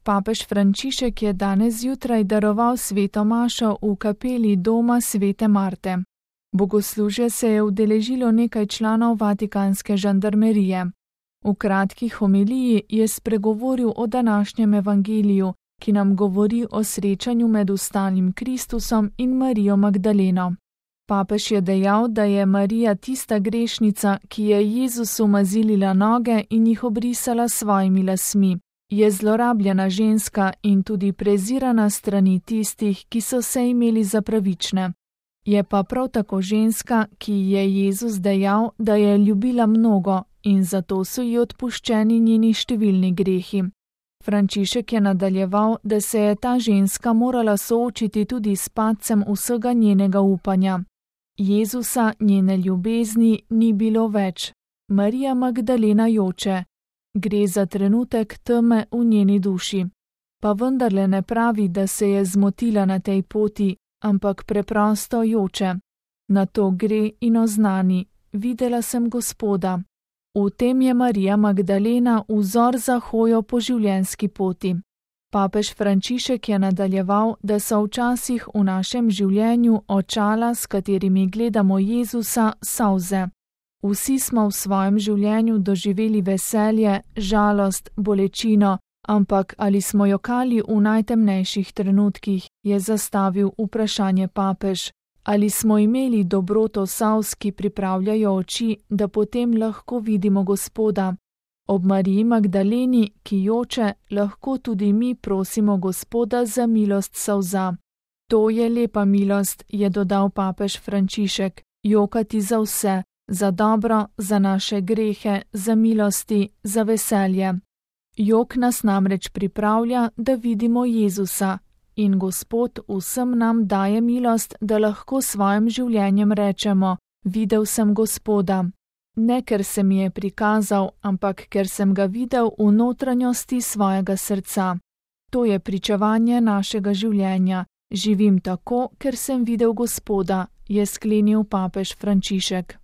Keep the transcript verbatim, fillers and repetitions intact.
Papež Frančišek je danes zjutraj daroval sveto mašo v kapeli doma svete Marte. Bogoslužja se je udeležilo nekaj članov vatikanske žandarmerije. V kratki homiliji je spregovoril o današnjem evangeliju, ki nam govori o srečanju med vstalim Kristusom in Marijo Magdaleno. Papež je dejal, da je Marija tista grešnica, ki je Jezusu mazilila noge in jih obrisala s svojimi lasmi. Je zlorabljena ženska in tudi prezirana strani tistih, ki so se imeli za pravične. Je pa prav tako ženska, ki je Jezus dejal, da je ljubila mnogo in zato so ji odpuščeni njeni številni grehi. Frančišek je nadaljeval, da se je ta ženska morala soočiti tudi s padcem vsega njenega upanja. Jezusa, njene ljubezni, ni bilo več. Marija Magdalena joče. Gre za trenutek teme v njeni duši. Pa vendarle ne pravi, da se je zmotila na tej poti, ampak preprosto joče. Na to gre in oznani: videla sem Gospoda. V tem je Marija Magdalena vzor za hojo po življenjski poti. Papež Frančišek je nadaljeval, da so včasih v našem življenju očala, s katerimi gledamo Jezusa, solze. Vsi smo v svojem življenju doživeli veselje, žalost, bolečino, ampak ali smo jokali v najtemnejših trenutkih, je zastavil vprašanje papež. Ali smo imeli dobroto solz, ki pripravljajo oči, da potem lahko vidimo Gospoda? Ob Mariji Magdaleni, ki joče, lahko tudi mi prosimo Gospoda za milost solza. To je lepa milost, je dodal papež Frančišek, jokati za vse, za dobro, za naše grehe, za milosti, za veselje. Jok nas namreč pripravlja, da vidimo Jezusa. In Gospod vsem nam daje milost, da lahko svojim življenjem rečemo: videl sem Gospoda. Ne ker se mi je prikazal, ampak ker sem ga videl v notranjosti svojega srca. To je pričevanje našega življenja. Živim tako, ker sem videl Gospoda, je sklenil papež Frančišek.